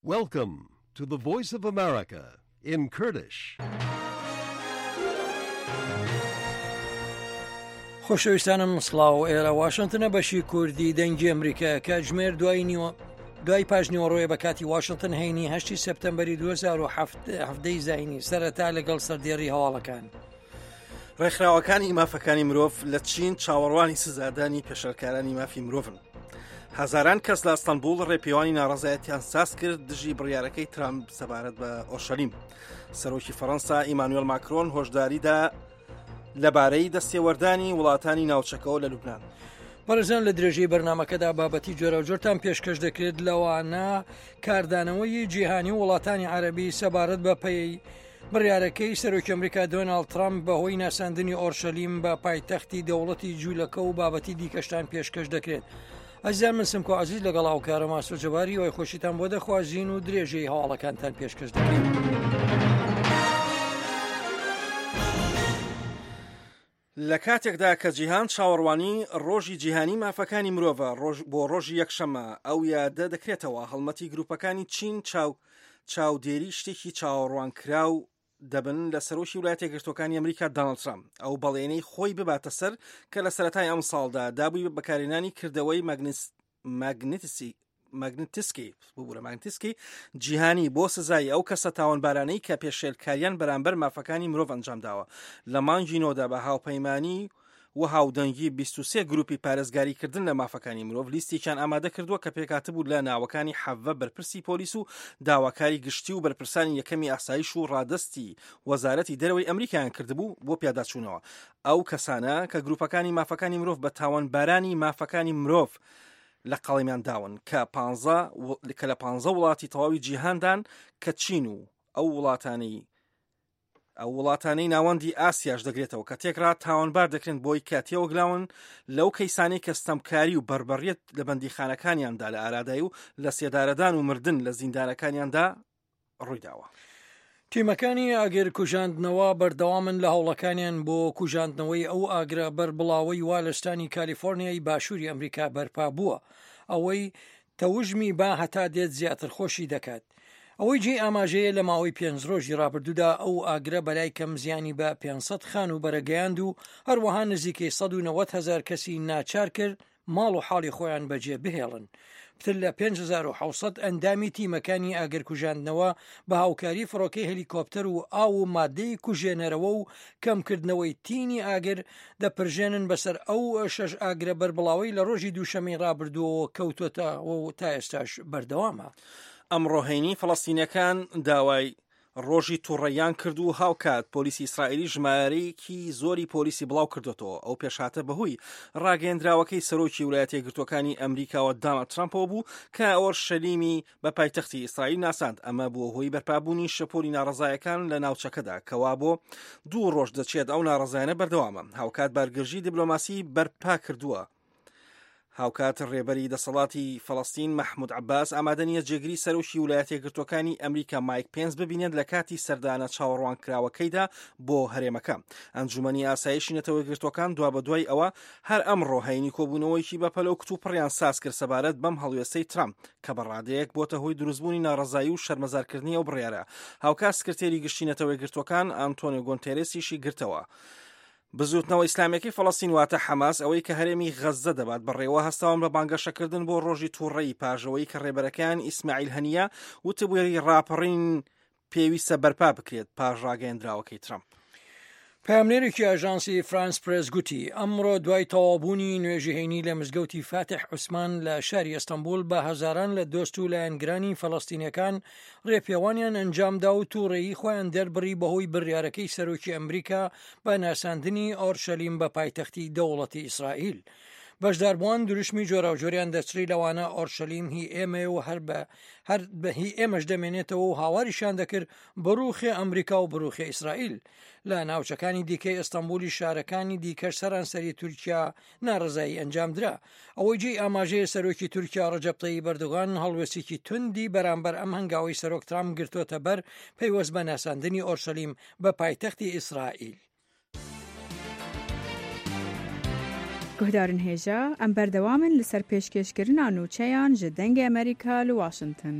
Welcome to the Voice of America in Kurdish. خۆشەویستانم سڵاو ئێرە واشنتنە بەشی کوردی دەنگی ئەمریکا کاتژمێر دوای نیوە دوای پاش نیوەڕۆیە بە کاتی واشنتن هەینی هەشتی سپتەمبەری 2017 زینی سەرەتا لەگەڵ سەردێڕی هەواڵەکان. ڕێکخراوەکانی مافەکانی مرۆڤ لە چین چاوەڕوانی سزادانی پێشێلکارانی مافی مرۆڤن. هەزاران کەس لە ئەستەنبوڵ ڕێپێوانی ناڕەزایەتیان ساز کرد دژی بڕیارەکەی ترامپ سەبارەت بە ئۆرشەلیم. سەرۆکی فەڕەنسا ئیمانوێل ماکرۆن هۆشداریدا لەبارەی دەستێوەردانی وڵاتانی ناوچەکەوە لە لوبناان. بەڕێزان لە درێژەی بەرنمەکەدا بابەتی جۆراوجۆرتان پێشکەش دەکرێت لەوانە کاردانەوەی جیهانی و وڵاتانی عەربی سەبارەت بە پێی بڕیارەکەی سەرۆکی ئەمریکا دۆناڵد ترەمپ بەهۆی ناساندنی ئۆرشەلیم بە پایتەختی دەوڵەتی جوولەکە و بابەتی دیکەشتان پێشکەش دەکرێت. ئەزیزان من سمکۆ عزیز لەگەڵ هاوکارم ئاسۆ جەباری وای خۆشیتان بۆ دەخوازین و درێژەی هەواڵەکانتان پێشکەش دەکەین. لە کاتێکدا کە جیهان چاوەڕوانی ڕۆژی جیهانی مافەکانی مرۆڤە ڕۆژ بۆ ڕۆژی یەکشەممە ئەو یادە دەکرێتەوە هەڵمەتی گروپەکانی چین چاو چاودێری شتێکی چاوەڕوانکراو دەبن لە سەرۆکی وڵاتە یەکگرتووەکانی ئەمریکا دانڵد ترامپ ئەو بەڵێنەی خۆی بباتە سەر کە لە سەرەتای ئەمساڵدا دابووی بە بەکارهێنانی کردەوەی مەگنیس ماگنتسی ماگنتسکی ببورە ماگنتسکی جیهانی بۆ سزای ئەو کەسە تاوانبارانەی کە پێشێلکاریان بەرامبەر مافەکانی مرۆڤ ئەنجامداوە لە مانگی نۆدا بە هاوپەیمانی و هاودەنگی 23 گروپی پارێزگاریکردن لە مافەکانی مرۆڤ لیستێکیان ئامادە کردووە کە پێکهاتبوو لە ناوەکانی حەڤە بەرپرسی پۆلیس و داواکاری گشتی و بەرپرسانی یەکەمی ئاسایش و ڕادەستی وەزارەتی دەرەوەی ئەمریکایان کردبوو بۆ پیاداچوونەوە ئەو کەسانە کە گروپەکانی مافەکانی مرۆڤ بە تاوانبارانی مافەکانی مرۆڤ لە قەڵەمیان داون کە پانزە کە لە پانزە وڵاتی تەواوی جیهاندان کە چین و ئەو وڵاتانەی ئەو وڵاتانەی ناوەندی ئاسیاش دەگرێتەوە کە تێکرا تاوانبار دەکرێن بۆی کە تێوەگلاون لەو کەیسانەی کە ستەمکاری و بەربەریەت لە بەندیخانەکانیاندا لە ئارادای و لە سێدارەدان و مردن لە زیندانەکانیاندا ڕوویداوە. تیمەکانی ئاگر کوژاندنەوە بەردەوامن لە هەوڵەکانیان بۆ کوژاندنەوەی ئەو ئاگرە بەربڵاوەی وا لە ستانی کالیفۆرنیای باشووری ئەمریکا بەرپا بووە، ئەوەی تەوژمی با هەتا دێت زیاتر خۆشی دەکات. ئەوەی جێی ئاماژەیە لە ماوەی پێنج ڕۆژی ڕابردوودا ئەو ئاگرە بەلای کەم زیانی بە 500 خانووبەرە گەیاند و هەروەها نزیکەی 190 هەزار کەسی ناچار کرد ماڵ و حاڵی خۆیان بەجێ بهێڵن. پتر لە 5700 ئەندامی تیمەکانی ئاگرکوژاندنەوە بە هاوکاری فڕۆکەی هەلیکۆپتەر و ئاو و مادەی کوژێنەرەوە و کەمکردنەوەی تینی ئاگر دەپرژێنن بەسەر ئەو شەش ئاگرە بەربڵاوەی لە ڕۆژی دووشەمەی ڕابردووەوە کەوتۆتەوە و تا ئێستاش بەردەوامە. ئەمڕۆ هەینی فەڵەستینیەکان داوای ڕۆژی توڕەییان کرد و هاوکات پۆلیسی ئیسرائیلی ژمارەیەکی زۆری پۆلیسی بڵاو کردۆتەوە. ئەو پێشهاتە بەهۆی ڕاگەیەندراوەکەی سەرۆکی ولایەتە یەکگرتووەکانی ئەمریکاوە داناڵد ترامپەوە بوو کە ئۆرشەلیمی بە پایتەختی ئیسرائیل ناساند. ئەمە بووە هۆی بەرپابوونی شەپۆلی ناڕەزایەکان لە ناوچەکەدا کەوا بۆ دوو ڕۆژ دەچێت ئەو ناڕەزایانە بەردەوامە. هاوکات بارگرژی دیبلۆماسی بەرپا کردووە. هاوکات ڕێبەری دەسەڵاتی فەڵەستین مەحمود عەباس ئامادە نییە جێگری سەرۆکی ولایەتە یەکگرتووەکانی ئەمریکا مایک پێنس ببینێت لە کاتی سەردانە چاوەڕوانکراوەکەیدا بۆ هەرێمەکە. ئەنجومەنی ئاسایشی نەتەوە یەکگرتووەکان دوابەدوای ئەوە هەر ئەمڕۆ هەینی کۆبوونەوەیەکی بەپەلە و کتوپڕیان ساز کرد سەبارەت بەم هەڵوێستەی ترامپ کە بە ڕادەیەک بۆتە هۆی دروستبوونی ناڕەزایی و شەرمەزارکردنی ئەو بڕیارە. هاوکات سکرتێری گشتی نەتەوە یەکگرتووەکان ئانتۆنیۆ گۆنتێرێسیشی گرتەوە. بزووتنەوە ئیسلامیەکەی فەڵەستین واتە حەماس ئەوەی کە هەرێمی غەززە دەبات بەڕێوە هەستاون بە بانگەشەکردن بۆ ڕۆژی تووڕەیی پاش ئەوەی کە ڕێبەرەکەیان ئیسماعیل هەنیە وتبووی ڕاپەڕین پێویستە بەرپا بکرێت پاش ڕاگەیەندراوەکەی ترەمپ. پەیامنێرێکی ئاژانسی فرانس پرێس گوتی، ئەمڕۆ دوای تەواوبوونی نوێژی هەینی لە مزگەوتی فاتح عوسمان لە شاری ئەستەنبوڵ بە هەزاران لە دۆست و لایەنگرانی فەلەستینیەکان ڕێپێوانیان ئەنجامدا و تووڕەیی خۆیان دەربڕی بەهۆی بڕیارەکەی سەرۆکی ئەمریکا بە ناساندنی ئۆرشەلیم بە پایتەختی دەوڵەتی ئیسرائیل. بەشداربووان دروشمی جۆراوجۆریان دەچڕی لەوانە ئۆرشەلیم هی ئێمەیە و هەر بە هەر بە هی ئێمەش دەمێنێتەوە و هاواریشیان دەکرد بڕوخێ ئەمریکا و بڕوخێ ئیسرائیل. لە ناوچەکانی دیکەی ئەستەنبولی شارەکانی دیکەش سەرانسەری تورکیا ناڕەزایی ئەنجامدرا. ئەوەی جێی ئاماژەیە سەرۆکی تورکیا ڕەجەب تەیب ئەردۆغان هەڵوێستێکی توندی بەرامبەر ئەم هەنگاوەی سەرۆک ترامپ گرتۆتە بەر پەیوەست بە ناساندنی ئۆرشەلیم بە پایتەختی ئیسرائیل. Guhdarên hêja, em berdewam in li ser pêşkêşkirina nûçeyan ji Dengê Amerîka li Washington.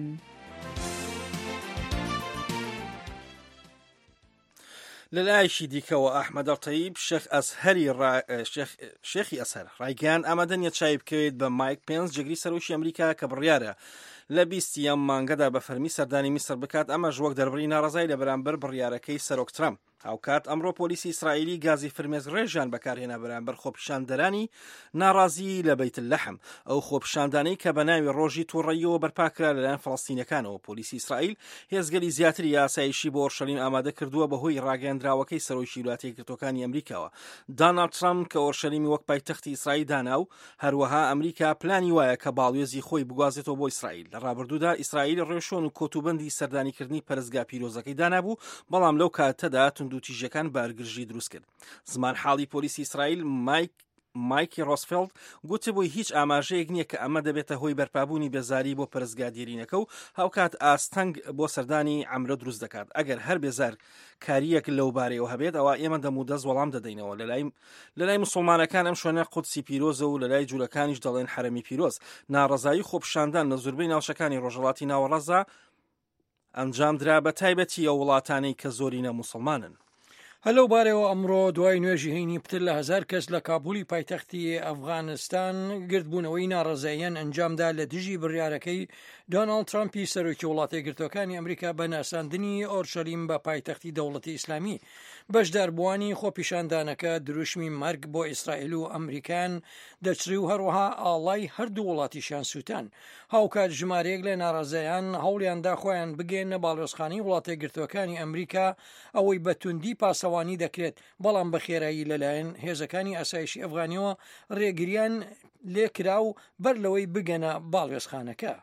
لەلایەکی دیکەوە ئەحمەد ئەلتەیب شێخ ئەزهەری شێخی ئەزهەر ڕایگەیاند ئامادە نییە چاوی بکەوێت بە مایک پێنس جێگری سەرۆکی ئەمریکا کە بڕیارە لە بیستی ئەم مانگەدا بە فەرمی سەردانی میسر بکات ئەمەش وەک دەربڕی ناڕەزای لە بەرامبەر بڕیارەکەی سەرۆک ترەمپ. هاوکات ئەمڕۆ پۆلیسی ئیسرائیلی گازی فرمێسکڕێژیان بەکارهێنا بەرامبەر خۆپیشاندەرانی ناڕازی لە بەیت لەحم، ئەو خۆپیشاندانەی کە بە ناوی ڕۆژی توڕەییەوە بەرپاکرا لەلایەن فەڵەستینەکانەوە. پۆلیسی ئیسرائیل هێزگەلی زیاتری ئاسایشی بۆ ئۆرشەلیم ئامادە کردووە بەهۆی ڕاگەیەندراوەکەی سەرۆکی ویلایەتە یەکگرتووەکانی ئەمریکاوە داناڵد ترەمپ کە ئۆرشەلیمی وەک پایتەختی ئیسرائیل دانا و هەروەها ئەمریکا پلانی وایە کە باڵوێزی خۆی بگوازێتەوە بۆ ئیسرائیل. لە ڕابردوودا ئیسرائیل ڕێوشوێن و کۆتوبەندی سەردانیکردنی پەرستگا پیرۆزەکەی دانابوو، بەڵام لەو کاتەدا توندوتیژیەکان بارگرژی دروست کرد. زمانحاڵی پۆلیسی ئیسرائیل مایک مایکی ڕۆسفێڵد گوتبووی هیچ ئاماژەیەک نییە کە ئەمە دەبێتە هۆی بەرپابوونی بێزاری بۆ پەرستگا دێرینەکە و هاوکات ئاستەنگ بۆ سەردانی عەمرە دروست دەکات ئەگەر هەر بێزار کارییەک لەو بارەیەوە هەبێت ئەوا ئێمە دەمودەست وەڵام دەدەینەوە لەلای لەلای مسوڵمانەکان ئەم شوێنە قودسی پیرۆزە و لەلای جولەکانیش دەڵێن حەرەمی پیرۆز. ناڕەزایی خۆپیشاندان لە زوربەی ناوچەکانی ڕۆژهەڵاتی ناوەڕاستدا ئەنجامدرا بە تایبەتی ئەو وڵاتانەی کە زۆرینە موسڵمانن. هەر لەو بارەیەوە ئەمڕۆ دوای نوێژی هەینی پتر لە هەزار کەس لە کابولی پایتەختی ئەفغانستان گردبوونەوەی ناڕەزاییان ئەنجامدا لە دژی بڕیارەکەی دۆناڵد ترامپی سەرۆکی وڵاتە یەکگرتووەکانی ئەمریکا بە ناساندنی ئۆرشەلیم بە پایتەختی دەوڵەتی ئیسلامی. بەشداربووانی خۆپیشاندانەکە دروشمی مەرگ بۆ ئیسرائیل و ئەمریکایان دەچڕی و هەروەها ئاڵای هەردوو وڵاتیشیان سووتان. هاوکات ژمارەیەک لە ناڕەزایان هەوڵیاندا خۆیان بگەیەننە باڵیۆزخانەی وڵاتە یەکگرتووەکانی ئەمریکا، ئەوەی بە توندی پاسەوانی دەکرێت، بەڵام بە خێرایی لەلایەن هێزەکانی ئاسایشی ئەفغانیەوە ڕێگریان لێکرا و بەر لەوەی بگەنە باڵوێزخانەکە.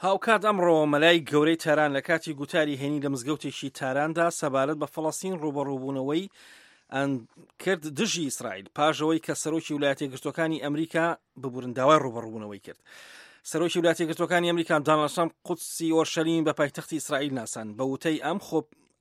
هاوکات ئەمڕۆ مەلای گەورەی تاران لە کاتی گوتاری هەینی لە مزگەوتێکی تاراندا سەبارەت بە فەڵەستین ڕووبەڕووبوونەوەی کرد دژی ئیسرائیل پاش ئەوەی کە سەرۆکی ولایەتە یەکگرتووەکانی ئەمریکا ببورن داوای ڕووبەڕووبوونەوەی کرد. سەرۆکی ولایەتە یەکگرتووەکانی ئەمریکا داناڵد ترامپ قودسی ئۆرشەلیم بە پایتەختی ئیسرائیل ناساند بە وتەی ئەم خۆ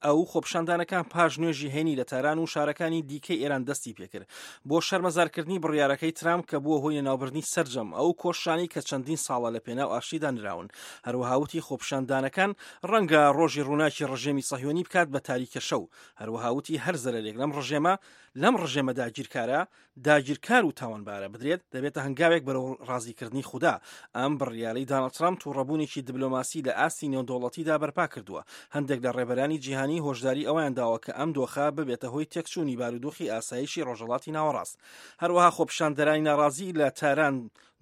ئەو خۆپیشاندانەکان پاش نوێژی هەینی لە تاران و شارەکانی دیکەی ئێران دەستی پێکرد بۆ شەرمەزارکردنی بڕیارەکەی ترامپ کە بووە هۆی لەناوبردنی سەرجەم ئەو کۆششانەی کە چەندین ساڵە لە پێناو ئاشتیدا نراون. هەروەها وتی خۆپیشاندانەکان ڕەنگە ڕۆژی ڕووناکی ڕژێمی سەهیۆنی بکات بە تاریکە شەو. هەروەها وتی هەر زەرەرێک لەم ڕژێمە لەم ڕژێمە داگیرکارە داگیرکار و تاوانبارە بدرێت، دەبێتە هەنگاوێک بەرەو ڕازیکردنی خودا. ئەم بڕیارەی دانڵد ترامپ تووڕەبوونێکی دبلۆماسی لە ئاستی نێودەوڵەتیدا بەرپا کردووە. هەندێک لە ڕێبەرانی جیهانی هۆشداری ئەوەیان داوە کە ئەم دۆخە ببێتە هۆی تێکچوونی بارودۆخی ئاسایشی ڕۆژهەڵاتی ناوەڕاست. هەروەها خۆپیشاندەرانی ناڕازی لە تاران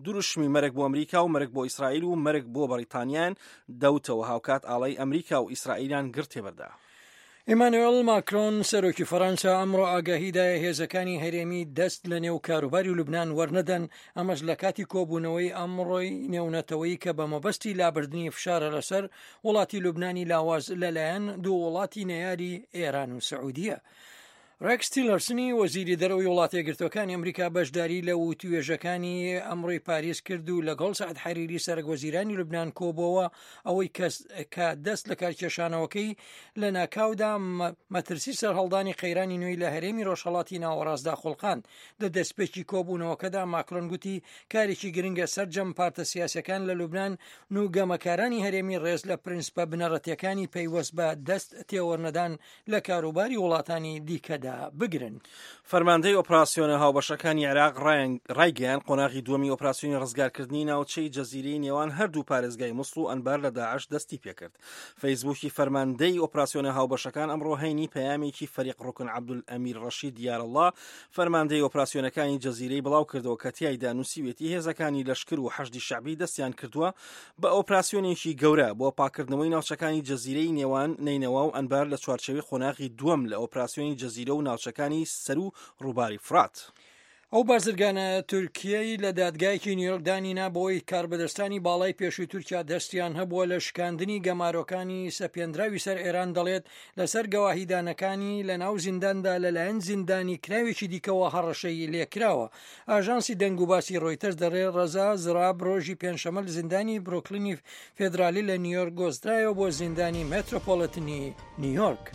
دروشمی مەرگ بۆ ئەمریکا و مەرگ بۆ ئیسرائیل و مەرگ بۆ بەڕیتانیایان دەوتەوە، هاوکات ئاڵای ئەمریکا و ئیسرائیلیان گڕ تێبەردا. ئیمانوێڵ ماکرۆن، سەرۆکی فەرەنسا ئەمڕۆ ئاگاهی دایە هێزەکانی هەرێمی دەست لە نێو کاروباری لوبناان وەرنەدەن، ئەمەش لە کاتی کۆبوونەوەی ئەمڕۆی نێونەتەوەی کە بە مەبەستی لابردنی فشارە لەسەر وڵاتی لوبنانی لاواز لەلایەن دوو وڵاتی نەیاری ئێران و سعودیە. ڕێکس تیلەرسنی وەزیری دەرەوەی وڵاتە یەکگرتووەکانی ئەمریکا بەشداری لە وتوێژەکانی ئەمڕۆی پاریس کرد و لەگەڵ سەعد حەریری سەرەک وەزیرانی لوبناان کۆبووەوە ئەوەی کەس کە دەست لە کارکێشانەوەکەی لە ناکاودا مەترسی سەرهەڵدانی قەیرانی نوێی لە هەرێمی ڕۆژهەڵاتی ناوەڕاستدا خوڵقاند لە دەستپێکی کۆبوونەوەکەدا ماکرۆن گوتی کارێکی گرنگە سەرجەم پارتە سیاسەکان لە لوبناان و گەمەکارانی هەرێمی ڕێز لە پرنسپە بنەڕەتیەکانی پەیوەست بە دەست تێوەرنەدان لە کاروباری وڵاتانی دیکەدا بگرن. فەرماندەی ئۆپراسیۆنە هاوبەشەکانی عێراق ڕایگەیاند، قۆناغی دووەمی ئۆپراسیۆنی ڕزگارکردنی ناوچەی جەزیرەی نێوان هەردوو پارێزگای موسڵ و ئەنبار لە داعش دەستیپێکرد. فەیسبووکی فەرماندەی ئۆپراسیۆنە هاوبەشەکان ئەمڕۆ هەینی پەیامێکی فەریق ڕوکن عەبدولئەمیر ڕەشید یارەڵڵا فەرماندەی ئۆپراسیۆنەکانی جەزیرەی بڵاوکردەوە کە تیایدا نووسیوێتی هێزەکانی لەشکر و حەشدی شەعبی دەستیان کردووە بە ئۆپراسیۆنێکی گەورە بۆ پاککردنەوەی ناوچەکانی جەزیرەی نێوان نەینەوا و ئەنبار لە چوارچێوەی قۆناغی دووەم لە ئۆپراسیۆنی جەزیرە و ناوچەکانی سەروو ڕووباری فورات. ئەو بازرگانە تورکییەی لە دادگایەکی نیویۆرک دانی نا بەوەی کاربەدەستانی باڵای پێشووی تورکیا دەستیان هەبووە لە شکاندنی گەمارۆکانی سەپێندراوی سەر ئێران دەڵێت لەسەر گەواهیدانەکانی لە ناو زینداندا لەلایەن زیندانی کراوێکی دیکەوە هەڕەشەی لێکراوە. ئاژانسی دەنگوباسی ڕۆیتەرز دەڵێ ڕەزا زراب ڕۆژی پێنجشەممە لە زیندانی برۆکلینی فێدرالی لە نیویۆرک گۆزرایەوە بۆ زیندانی مێترۆپۆلیتنی نیویۆرک.